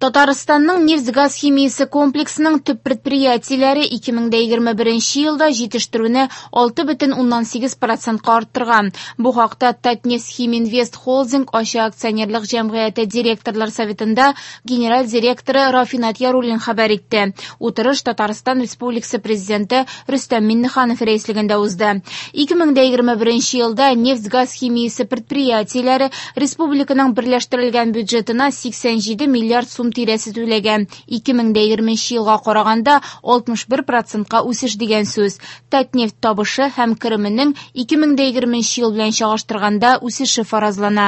Татарстанның нефть-газ химиясе комплексының төп предприятиеләре 2021 елда җитештерүне 6,8 процентка арттырган. Бу хакта Татнефтьхиминвест Холдинг ачык акционерлык җәмгыяте директорлар советында генераль директоры Рафинат Яруллин хәбәр итте. Утырыш Татарстан Республикасы Президенты Рөстәм Миңнеханов рәислегендә узды. 2021 елда нефть-газ химиясе предприятиеләре республиканың берләштерелгән бюджетына 87 миллиард сум тирәсе түләгән. 2020 елга караганда 61 процентка үсеш дигән сүз. Татнефть табышы һәм кеременең 2020 ел белән чагыштырганда үсеше фаразлана.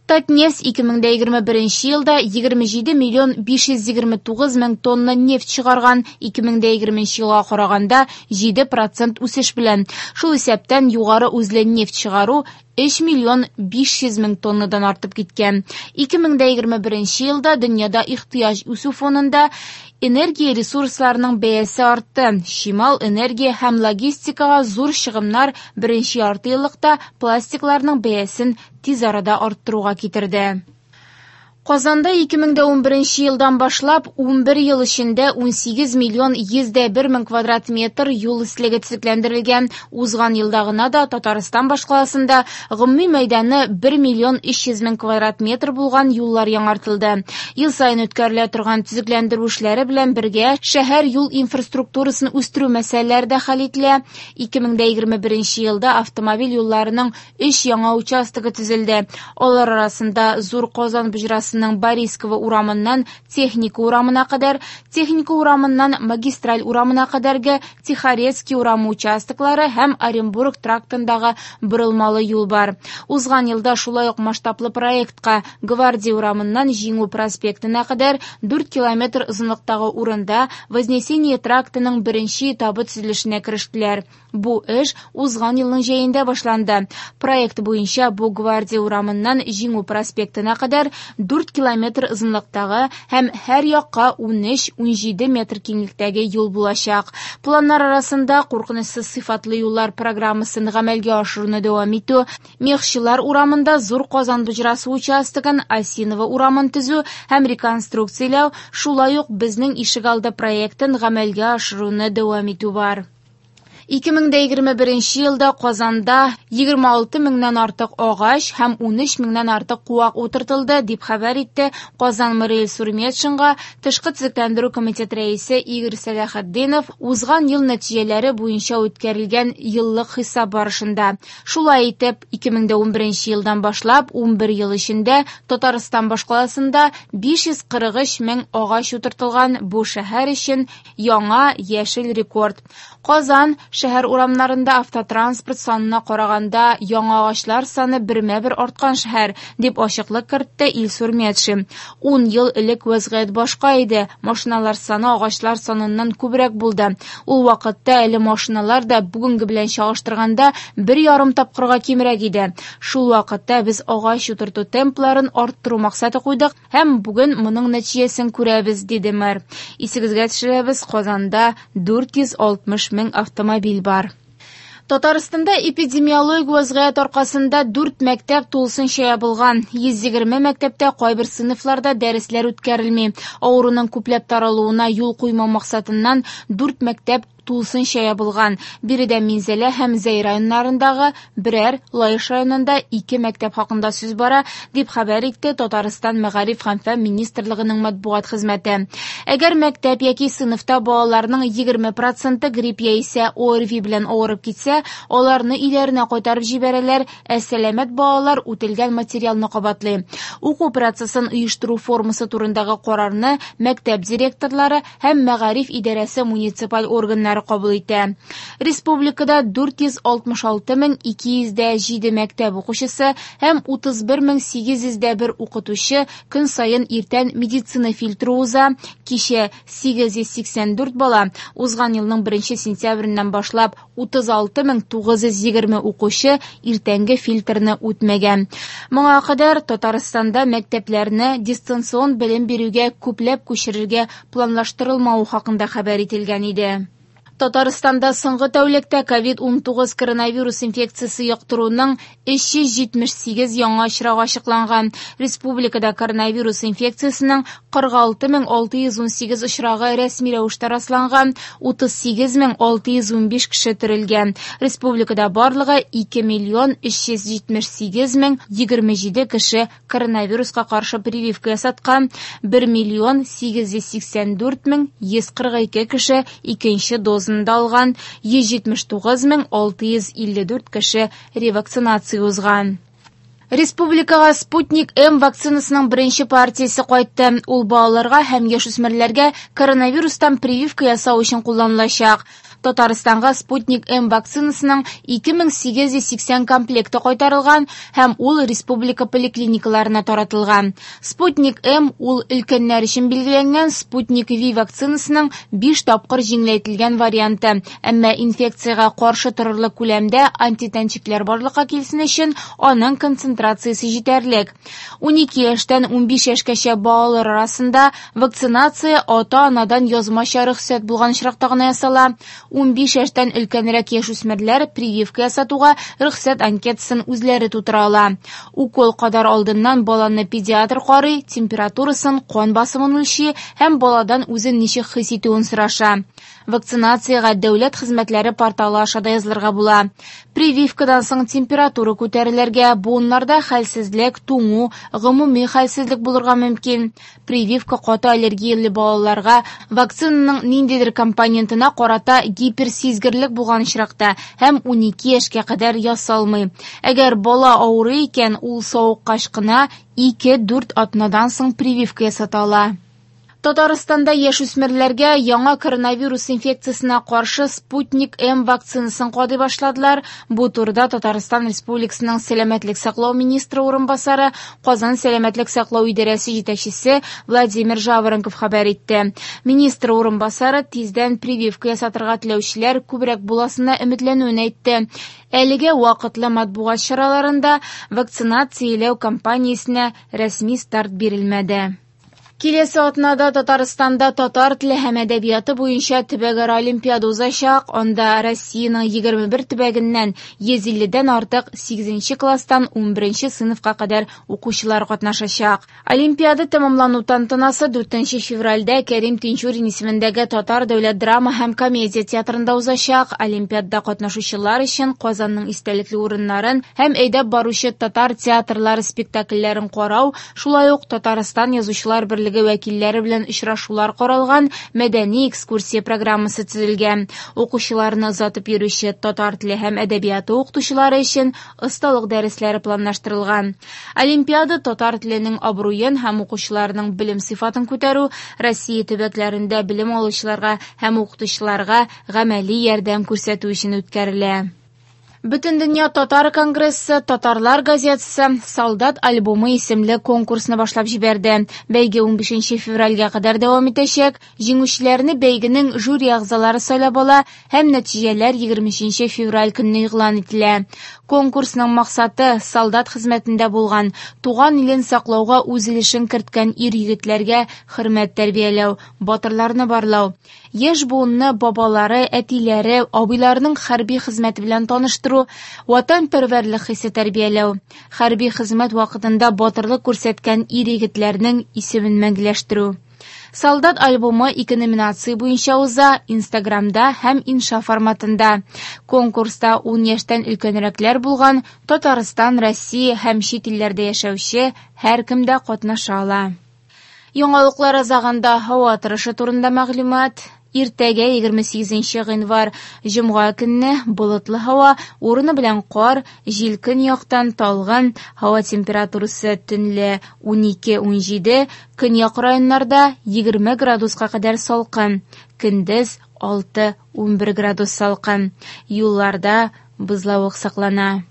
Татнефть 2021 елда 27 миллион 529 мең тонна нефть чыгарган, 2020 елга караганда 7 процент үсеш белән. Шул исәптән югары үзле нефть чыгару 3 миллион 500 мең тоннадан артып киткән. 2021 елда дөньяда ихтыяҗ үсү фонында энергия ресурсларының бәясе артты. Чимал, энергия һәм логистикага зур чыгымнар беренче ярты еллыкта пластикларның бәясен тиз арада арттыруга китерде. Казанда 2011 елдан башлап 11 ел эчендә 18 миллион 101 мең квадрат метр юл өслеге төзекләндерелгән. Узган елда гына да Татарстан башкаласында гомуми мәйданы 1 миллион 300 мең квадрат метр булган юллар яңартылды. Ел саен үткәрелә торган төзекләндерү эшләре белән бергә шәһәр юл инфраструктурасын үстерү мәсьәләләре дә хәл ителә. 2021 елда автомобиль юлларының 3 яңа участогы төзелде. Алар арасында Зур Казан боҗрасының Борисково урамыннан Техника урамына кадәр, Техника урамыннан Магистраль урамына кадәрге Тихорецкий урамы участоклары һәм Оренбург трактындагы борылмалы юл бар. Узган елда шулай ук масштаблы проектка Гвардия урамыннан Җиңү проспектына кадәр 4 километр озынлыктагы урында Вознесение трактының беренче этабы төзелешенә керештеләр. Бу эш узган елның җәендә башланды. Проект буенча бу Гвардия урамыннан Җиңү проспектына кадәр 4 километр озынлыктагы һәм һәр якка 13-17 метр киңлектәге юл булачак. Планнар арасында куркынычсыз сыйфатлы юллар программасын гамәлгә ашыруны дәвам итү, Мехчылар урамында Зур Казан боҗрасы участогын, Осиново урамын төзү һәм реконструкцияләү, шулай ук Безнең ишегалды проектын гамәлгә ашыруны дәвам итү бар. 2021 елда Казанда 26 меңнән артык агач һәм 13 меңнән артык куак утыртылды, дип хәбәр итте Казан мэры Илсур Метшинга Тышкы төзекләндерү комитеты рәисе Игорь Сәләхетдинов узган ел нәтиҗәләре буенча үткәрелгән еллык хисап барышында. Шулай итеп, 2011 елдан башлап 11 ел эчендә Татарстан башкаласында 543 мең агач утыртылган, бу шәһәр өчен яңа яшел рекорд. Казан шәһәр урамнарында автотранспорт санына караганда яңа агачлар саны бермә-бер арткан шәһәр, дип ачыклык кертте Илсур Метшин. 10 ел элек вәзгыять башка иде. Машиналар саны агачлар саныннан күбрәк булды. Ул вакытта әле машиналар да бүгенге белән чагыштырганда 1,5 тапкырга кимрәк иде. Шул вакытта без агач утырту темпларын арттыру максаты куйдык һәм бүген моның нәтиҗәсен күрәбез, диде мэр. Исегезгә төшерәбез, Казанда 460 мең автомобиль бар. Татарстанда эпидемиологик вазгыять аркасында 4 мәктәп тулысынча ябылган. 120 мәктәптә кайбер сыйныфларда дәресләр үткәрелми. Авыруның күпләп таралуына юл куймау максатыннан 4 мәктәп тулысынча ябылган. Биредә Минзәлә һәм Зәй районнарындагы берәр, Лаеш районында 2 мәктәп хакында сүз бара, дип хәбәр итте Татарстан Мәгариф һәм фән министрлыгының матбугат хезмәте. Әгәр мәктәп яки сыйныфта балаларның 20% грипп яисә ОРВИ белән авырып китсә, аларны өйләренә кайтарып җибәрәләр, ә сәламәт балалар үтелгән материалны кабатлый. Уку процессын оештыру формасы турындагы карарны мәктәп директорлары һәм мәгариф идарәсе муниципаль органнары кабул итә. Республикада 466 мең 207 мәктәп укучысы һәм 31 мең 801 укытучы көн саен иртән медицина фильтры уза. Кичә 884 бала, узган елның 1 сентябреннән башлап 36 мең 920 укучы иртәнге фильтрны үтмәгән. Моңа кадәр Татарстанда мәктәпләрне дистанцион белем бирүгә күпләп күчерергә планлаштырылмавы хакында хәбәр ителгән иде. Татарстанда соңгы тәүлектә COVID-19 коронавирус инфекциясе йоктыруның 378 яңа очрагы ачыкланган. Республикада коронавирус инфекциясенең 46618 очрагы рәсми рәвештә расланган, 38615 кеше терелгән. Республикада барлыгы 2 миллион 378 мең 27 кеше коронавируска каршы прививка ясаткан, 1 миллион 884 мең 142 кеше икенче дозаны да алган, 179 мең 654 кеше ревакцинация узган. Республикага «Спутник М» вакцинасының беренче партиясе кайтты. Ул балаларга һәм яшүсмерләргә коронавирустан прививка ясау өчен кулланылачак. Татарстанга «Спутник М» вакцинасының 2880 комплекты кайтарылган һәм ул республика поликлиникаларына таратылган. «Спутник М» ул өлкәннәр өчен билгеләнгән «Спутник V» вакцинасының 5 тапкыр җиңеләйтелгән варианты. Әмма инфекциягә каршы торырлык күләмдә антитәнчекләр барлыкка килсен өчен аның концентрациясе җитәрлек. 12 яшьтән 15 яшькәчә балалар арасында вакцинация ата-анадан язмача рөхсәт булган очракта гына ясала. 15 яшьтән өлкәнрәк яшүсмерләр прививка ясатуга рөхсәт анкетасын үзләре тутыра ала. Укол кадар алдыннан баланы педиатр карый, температурасын, кан басымын үлчи һәм баладан үзен ничек хис итүен сораша. Вакцинациягә дәүләт хезмәтләре порталы аша да язылырга була. Прививкадан соң температура күтәрелергә, буыннарда хәлсезлек, туңу, гомуми хәлсезлек булырга мөмкин. Прививка каты аллергияле балаларга вакцинаның ниндидер компонентына карата гиперсизгерлек булган очракта һәм 12 яшькә кадәр ясалмый. Әгәр бала авырый икән, ул савыккач кына 2-4 атнадан соң прививка ясата ала. Татарстанда яшүсмерләргә яңа коронавирус инфекциясенә каршы «Спутник М» вакцинасын кадый башладылар. Бу турыда Татарстан Республикасының сәламәтлек саклау министры урынбасары, Казан сәламәтлек саклау идарәсе җитәкчесе Владимир Жаворонков хәбәр итте. Министр урынбасары тиздән прививка ясатырга теләүчеләр күбрәк буласына өметләнүен әйтте. Әлегә вакытлы матбугат чараларында вакцинацияләү кампаниясенә рәсми старт бирелмәде. Киләсе атнада Татарстанда татар теле һәм әдәбияты буенча төбәкара олимпиада узачак. Анда Россиянең 21 төбәгеннән 150дән артык 8 класстан 11 сыйныфка кадәр укучылар катнашачак. Олимпиада тәмамлану тантанасы 4 февральдә Кәрим Тинчурин исемендәге Татар дәүләт драма һәм комедия театрында узачак. Олимпиадада катнашучылар өчен Казанның истәлекле урыннарын һәм әйдәп баручы татар театрлары спектакльләрен карау, шулай ук Татарстан Язучылар берлеге вәкилләре белән очрашулар каралган мәдәни экскурсия программасы төзелгән. Укучыларны озатып йөрүче татар теле һәм әдәбияты укытучылары өчен осталык дәресләре планлаштырылган. Олимпиада татар теленең абруен һәм укучыларның белем сыйфатын күтәрү, Россия төбәкләрендә белем алучыларга һәм укытучыларга гамәли ярдәм күрсәтү өчен үткәрелә. Бөтендөнья татар конгрессы «Татарлар газетасы» «Солдат альбомы» исемле конкурсны башлап җибәрде. Бәйге 15 февральгә кадәр дәвам итәчәк. Җиңүчеләрне бәйгенең жюри әгъзалары сайлап ала һәм нәтиҗәләр 23 февраль көнне игълан ителә. Конкурсның максаты солдат хезмәтендә булган, туган илен саклауга үз өлешен керткән ир-егетләргә хөрмәт тәрбияләү, батырларны барлау. Яшь буынны бабалары, әтиләре, абыйларының хәрби хезмәте белән таныштыру, ватанпәрвәрлек хисе тәрбияләү, хәрби хезмәт вакытында батырлык күрсәткән ир-егетләрнең исемен мәңгеләштерү. Солдат альбомы ике номинация буенча уза: Инстаграмда һәм инша форматында. Конкурста 10 яшьтән өлкәнрәкләр булган Татарстан, Россия һәм чит илләрдә яшәүче һәркем дә катнаша ала. Яңалыклар азагында һава торышы турында мәгълүмат. Иртәгә 28 гыйнвар җомга көнне болытлы һава, урыны белән кар, җил көньяктан талгын, һава температурасы төнлә 12-17, көньяк районнарда 20 градуска кадәр салкын, көндез 6-11 градус салкын. Юлларда бозлавык саклана.